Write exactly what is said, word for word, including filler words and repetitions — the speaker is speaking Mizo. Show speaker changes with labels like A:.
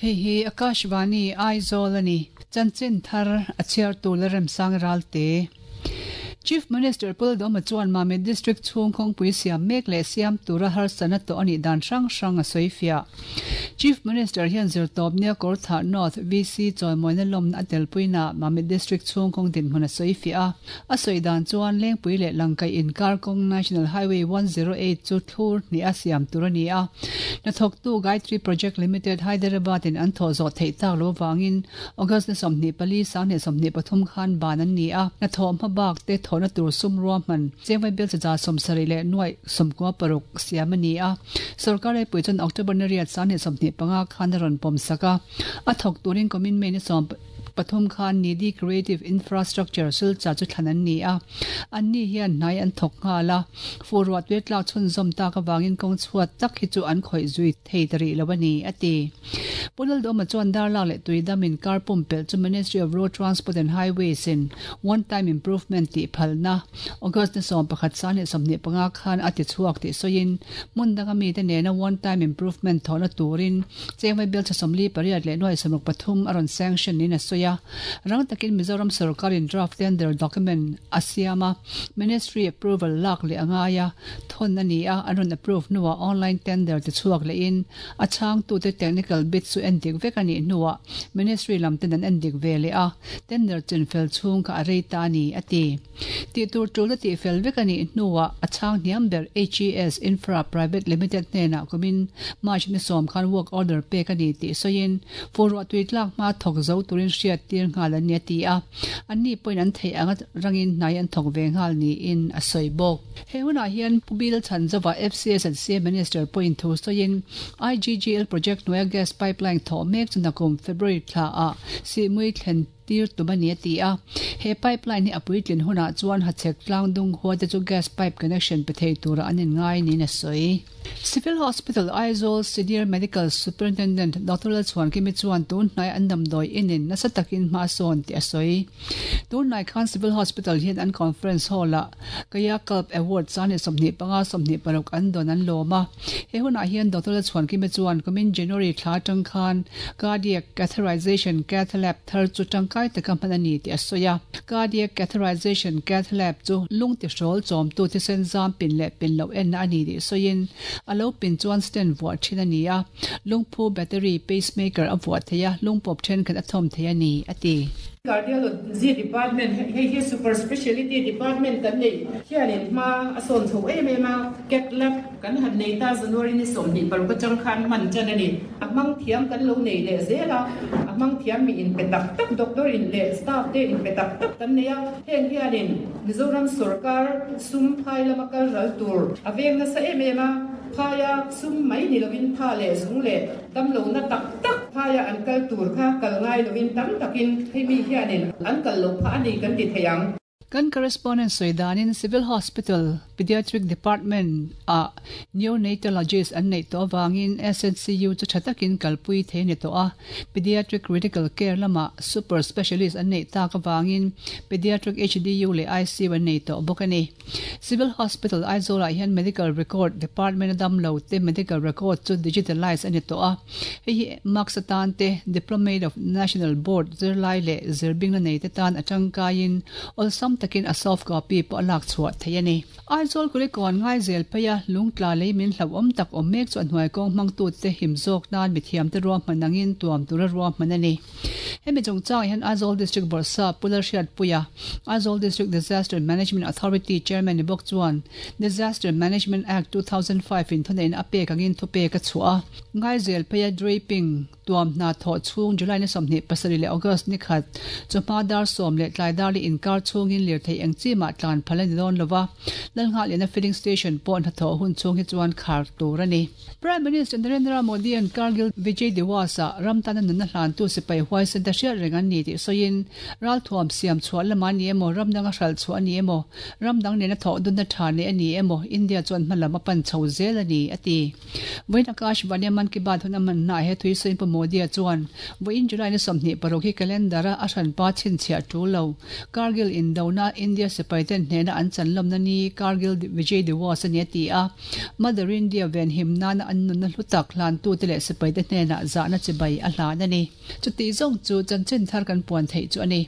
A: Hei hi Akashvani Aizawl ani chanchin thar a chhiar tu la remsang ralte Chief Minister Pu Lalduhoma chuan Mamit District chhung kawngpui siam mek leh siam tura harsatna tawh anih dan hrang hrang a sawi fiah. Chief Minister hian zirtawp nia Kawrthah North V C chawimawina lawmna a telpuina Mamit District chhung kawng dinhmun a sawi fiah a. A sawi dan chuan Lengpui leh Langkaih inkar kawng National Highway one zero eight chu thlur hnih a siam tur a ni a. Hnathawktu Gayatri Project Limited, Hyderabad in an thawh zawh theih tak lo wangin August ni sawmhnih pali sanghnih sawmhnih pathum khan ban an ni a. Hnathawh hmabak te thawhna tur sum ruahman chengvai bel chaza sawmsarih leh nuai sawmkua paruk siam a ni a. Sarkar pui chuan October ni riat sanghnih sawmhnih panga khan a rawn pawm sak a. A thawk turin kumin May ni sawm pathum khan Nidhi Creative Infrastructure, Silchar chu thlan an ni a. An ni hian hnai an thawk nghal a. Fur ruah tui tlak chhun zawm tak awangin kawng chhuat tak hi chu an khawih zui thei tari lo ani ati. Pu Lalduhoma chuan Darlak leh Tuidam inkar pumpelh chu Ministry of Road Transport and Highways in one time improvement tih phalna August ni sawm pakhat sanghnih sawmhnih panga khan a ti chhuak tih sawiin, hmun danga mi te nena one time improvement thawhna turin chengvai bel sawmli pariat leh nuai sawmruk pathum a rawn sanction in a sawi a. Rang takin Mizoram sarkarin draft tender document a siama, ministry approval lak leh angaya thon ani a. An rawn approve nuwa online tender te chhuak le in a chang tu te technical bid chu endik vek ani nuwa ministry lam ten an endik ve le a. Tender chin fel chung ka arei ta ni ati. Ti tur tul ti fel vek ani nuwa a chang hniam ber H E S Infra Private Limited hnena kumin March ni sawm khan work order pe ka ni ti soin fur ruah tui tlak ma thok zo turin hriat tir ngal an ni ti a. An ni point an thei anga rangin hnai an thok ve ngal ni in a soi bawk. He huna hian Pu Bill Chhanzova, F C S and C Minister point thu soin I G G L project noya gas pipeline tho mek chunakum February thla a si mui thlen tir tumani ati a. He pipeline hi apuitlin huna chuan hachek tlang dung huwa te chu gas pipe connection pe thei tura anin ngai ni na soi. Civil Hospital Aizawl Senior Medical Superintendent Doctor Lalchhuan Kimi chuan tun hnai an damdawi inin nasa takin hma sawn ti a sawi. Tun hnai khan Civil Hospital hian an conference hall a Kaya Kalp Award chani sawmhnih panga sawmhnih paruk an don an lawma. He hunah hian Doctor Lalchhuan Kimi chuan kumin January thla tang khan cardiac catheterization cath lab thar chu tangkai taka hman ani ti a sawi a. Cardiac catheterization cath lab chu lung ti hrawl chawm tu thisen zam pin leh pin lo en na ani ti sawiin, alo pin chuan stent vuah thin ani a. Lungphu battery pacemaker a vuah theia, lungpawp then khat a thawm thei ani ati.
B: Cardiology department hei hi super speciality department kan nei hianin hma a sawn chho em em a. Cath lab kan han nei ta, January ni sawmhnih paruk atang khan man chan ani. A hmang thiam kan lo nei leh zela, a hmang thiam mi in pe tak tak, doctor in leh staff te in pe tak tak kan nei a. Heng hianin Mizoram sarkar sum phai lama kal ral tur a veng nasa em em a. Phaya sum mai ni lovin tha leh zung leh dam lo na tak tak phaya an kal tur kha kal ngai lovin tam takin hemi hianin an kal lo pha ani kan ti theiang.
A: Kan correspondent soidanin Civil Hospital Pediatric Department a neonatologist an nei to wangin S N C U chu thatakin kalpui the ni to a. Pediatric critical care lama super specialist an nei ta ka wangin pediatric H D U le I C U an nei to bokani. Civil Hospital Aizawl hian Medical Record Department dam lo te medical record chu digitalize ani to a. Hei hi marks atan te, Diplomate of National Board zirlai le zirbing na nei te tan atang kain olsam takin a soft copy po alak chuah thei ani. Aizawl Kulikawn ngai zel phaya lungtla lei min hlo om tak om mek chu hnuai kawng hmang tu te him zawk nan mithiam te ruam hmanangin tuam tura ruam hman ani. Hemi chungchang hian Aizawl District Bawrhsap Pu Lalhriatpuia, Aizawl District Disaster Management Authority Chairman ni bawk chuan Disaster Management Act two thousand five in thunein a pek angin thu pek a chhuah a. Ngai zel phaya draping tuam hna thaw chhung July ni sawmhnih pasarih leh August ni khat chawhma dar sawm leh tlai dar li inkar chhungin lirthei eng chi mah tlan phal ani dawn lova. Lalnghah filling station pawh hna thaw hun chhung hi chuan khar tur ani. Prime Minister Narendra Modi an Kargil Vijay Diwas a ramtana nunna hlan tu sipai huai sen te hriat reng an ni tih sawiin ralthuam siam chhuah lamah a ni emaw, ram danga hralh chhuah a ni emaw, ram dang nena thawh dunna tha neih a ni emaw, India chuan hma lam a pan chho zel a ni, a ti. Vawiin Akashvani-a Mann Ki Baat hun a hmannaah he thui sawiin Pu Modi-a chuan vawiin July ni sawmhnih paruk hi calendar-a a hranpa chhinchhiah tul lo, Kargil indona India sipaiten hnehna an chanlawmna ni Kargil Vijay Diwas a ni a ti a, Mother India venhim nana an nunna hlu tak hlantute leh sipaite hnenah zahna chibai a hlan a ni. Chutih zawng chu chanchin thar kan puan theih chu a ni.